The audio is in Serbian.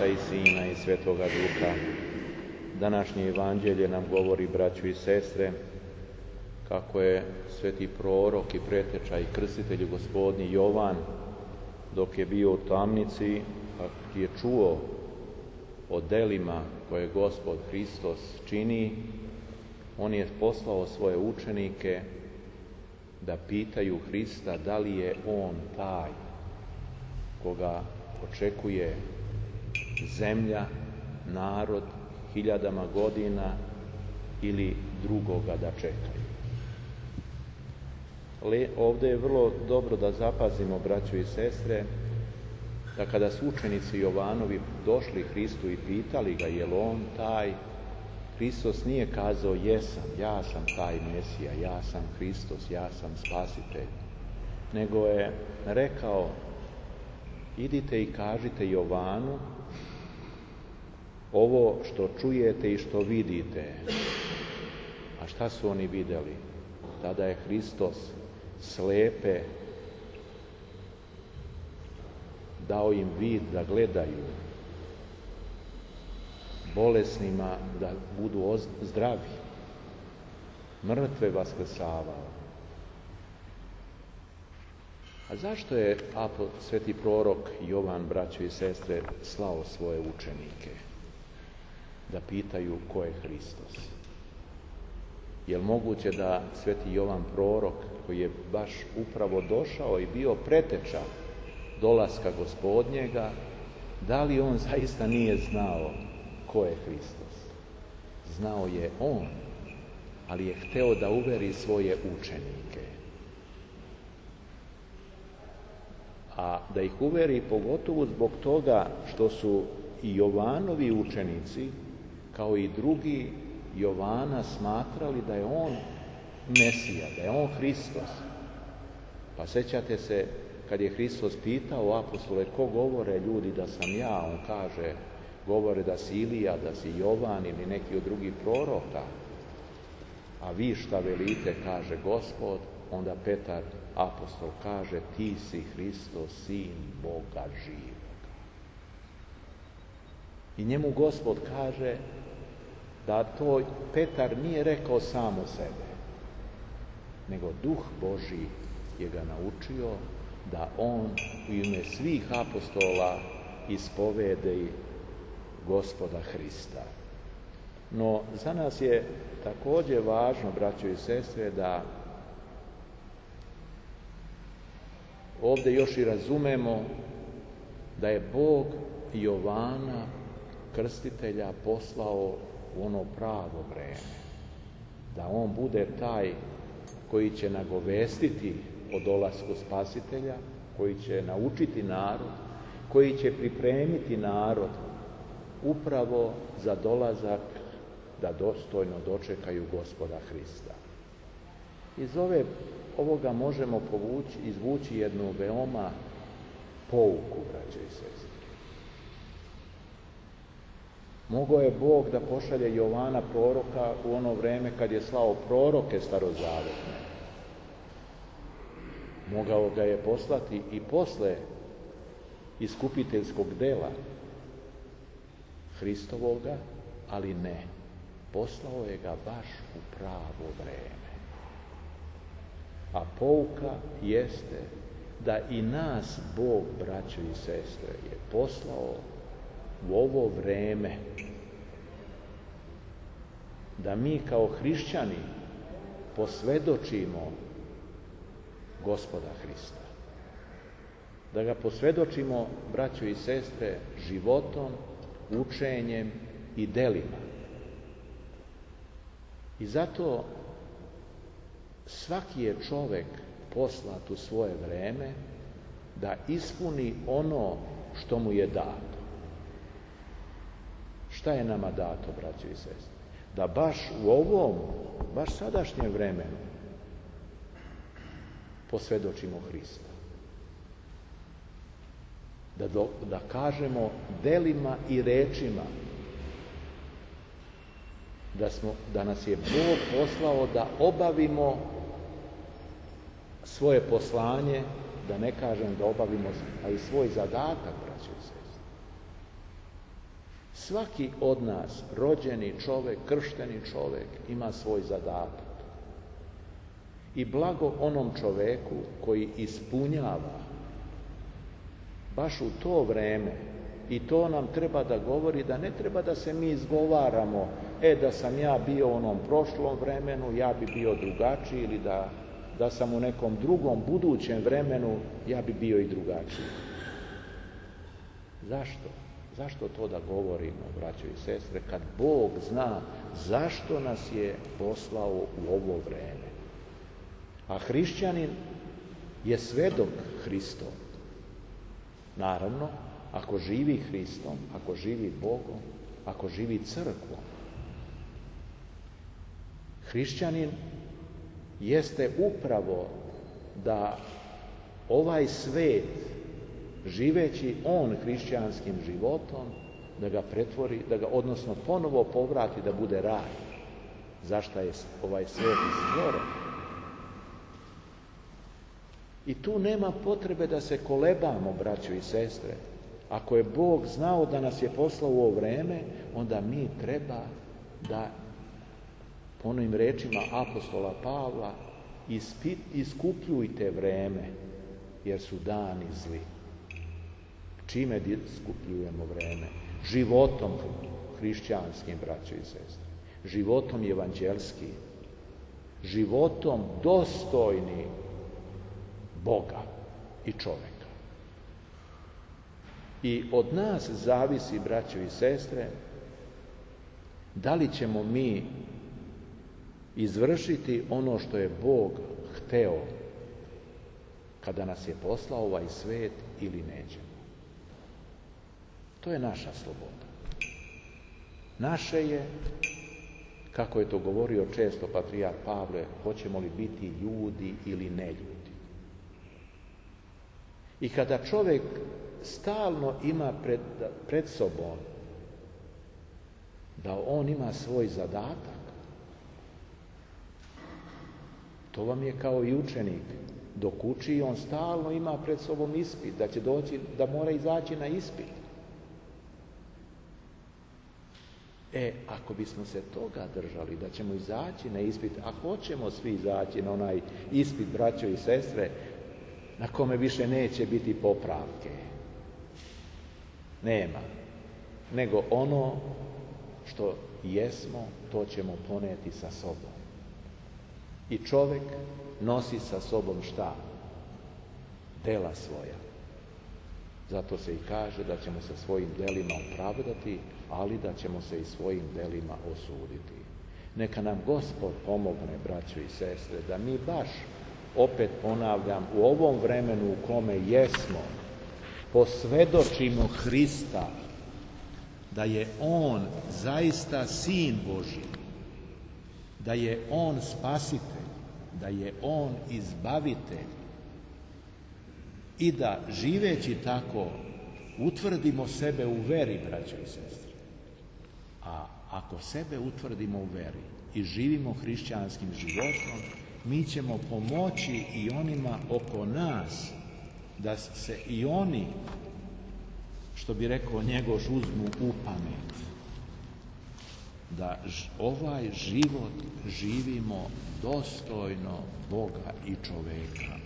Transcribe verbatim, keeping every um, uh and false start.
Oca i Sina i Svetoga Duha. Današnje evanđelje nam govori, braćo i sestre, kako je sveti prorok i preteča i krstitelj Gospodnji Jovan, dok je bio u tamnici, kako je čuo o delima koje Gospod Hristos čini, on je poslao svoje učenike da pitaju Hrista da li je on taj koga očekuje zemlja, narod, hiljadama godina ili drugoga da čekaju. Ali ovdje je vrlo dobro da zapazimo, braćo i sestre, da kada su učenici Jovanovi došli Hristu i pitali ga je li on taj, Hristos nije kazao jesam, ja sam taj Mesija, ja sam Hristos, ja sam Spasitelj, nego je rekao idite i kažite Jovanu ovo što čujete i što vidite. A šta su oni vidjeli? Tada je Hristos slepe dao im vid da gledaju, bolesnima da budu zdravi, mrtve vaskrsavao. A zašto je sveti prorok Jovan, braćo i sestre, slao svoje učenike da pitaju ko je Hristos? Je li moguće da sveti Jovan prorok, koji je baš upravo došao i bio preteča dolaska Gospodnjega, da li on zaista nije znao ko je Hristos? Znao je on, ali je hteo da uveri svoje učenike. A da ih uveri pogotovo zbog toga što su i Jovanovi učenici, kao i drugi Jovana, smatrali da je on Mesija, da je on Hristos. Pa sećate se kad je Hristos pitao apostole ko govore ljudi da sam ja, on kaže govore da si Ilija, da si Jovan ili neki od drugih proroka. A vi šta velite, kaže Gospod. Onda Petar, apostol, kaže ti si Hristos, sin Boga živoga. I njemu Gospod kaže da to Petar nije rekao samo sebe, nego Duh Božji je ga naučio da on u ime svih apostola ispovedi Gospoda Hrista. No, za nas je također važno, braćo i sestre, da ovdje još i razumemo da je Bog Jovana, krstitelja, poslao u ono pravo vreme. Da on bude taj koji će nagovestiti o dolasku Spasitelja, koji će naučiti narod, koji će pripremiti narod upravo za dolazak da dostojno dočekaju Gospoda Hrista. Iz ove, ovoga možemo povući, izvući jednu veoma pouku, braće i sestre. Mogao je Bog da pošalje Jovana proroka u ono vreme kad je slao proroke starozavetne. Mogao ga je poslati i posle iskupiteljskog dela Hristovoga, ali ne. Poslao je ga baš u pravo vreme. A pouka jeste da i nas Bog, braćo i sestre, je poslao u ovo vreme da mi kao hrišćani posvedočimo Gospoda Hrista. Da ga posvedočimo, braćo i sestre, životom, učenjem i delima. I zato svaki je čovek poslat u svoje vreme da ispuni ono što mu je dato. Šta je nama dato, braćo i sestre? Da baš u ovom, baš sadašnjem vremenu posvedočimo Hrista. Da, do, da kažemo delima i rečima da, smo, da nas je Bog poslao da obavimo svoje poslanje, da ne kažem da obavimo, a i svoj zadatak, braćo i sestre. Svaki od nas, rođeni čovjek, kršteni čovjek, ima svoj zadatak. I blago onom čovjeku koji ispunjava baš u to vreme, i to nam treba da govori da ne treba da se mi izgovaramo, e da sam ja bio u onom prošlom vremenu, ja bi bio drugačiji, ili da, da sam u nekom drugom budućem vremenu, ja bi bio i drugačiji. Zašto? Zašto to da govorimo, braćo i sestre, kad Bog zna zašto nas je poslao u ovo vreme? A hrišćanin je svedok Hristov. Naravno, ako živi Hristom, ako živi Bogom, ako živi crkvom. Hrišćanin jeste upravo da ovaj svet, živeći on hrišćanskim životom, da ga pretvori, da ga odnosno ponovo povrati da bude raj. Zašto je ovaj svet stvoren? I tu nema potrebe da se kolebamo, braćo i sestre. Ako je Bog znao da nas je poslao u ovo vreme, onda mi treba da, po onim rečima apostola Pavla, ispit, iskupljujte vreme, jer su dani zli. Čime iskupljujemo vreme? Životom hrišćanskim, braćo i sestre. Životom evanđelskim. Životom dostojnim Boga i čovjeka. I od nas zavisi, braćo i sestre, da li ćemo mi izvršiti ono što je Bog hteo kada nas je poslao ovaj svet ili nećemo. To je naša sloboda. Naše je, kako je to govorio često patrijarh Pavle, hoćemo li biti ljudi ili ne ljudi. I kada čovjek stalno ima pred, pred sobom da on ima svoj zadatak, to vam je kao i učenik. Dok uči, on stalno ima pred sobom ispit, da će doći, da mora izaći na ispit. E, ako bismo se toga držali, da ćemo izaći na ispit, a hoćemo svi izaći na onaj ispit, braćo i sestre, na kome više neće biti popravke. Nema. Nego ono što jesmo, to ćemo poneti sa sobom. I čovjek nosi sa sobom šta? Dela svoja. Zato se i kaže da ćemo se svojim delima opravdati, ali da ćemo se i svojim delima osuditi. Neka nam Gospod pomogne, braćo i sestre, da mi baš, opet ponavljam, u ovom vremenu u kome jesmo, posvedočimo Hrista, da je On zaista Sin Božji, da je On spasitelj, da je On izbavitelj, i da živeći tako utvrdimo sebe u veri, braćo i sestre. A ako sebe utvrdimo u veri i živimo hrišćanskim životom, mi ćemo pomoći i onima oko nas da se i oni, što bi rekao Njegoš, uzmu u pamet. Da ovaj život živimo dostojno Boga i čoveka.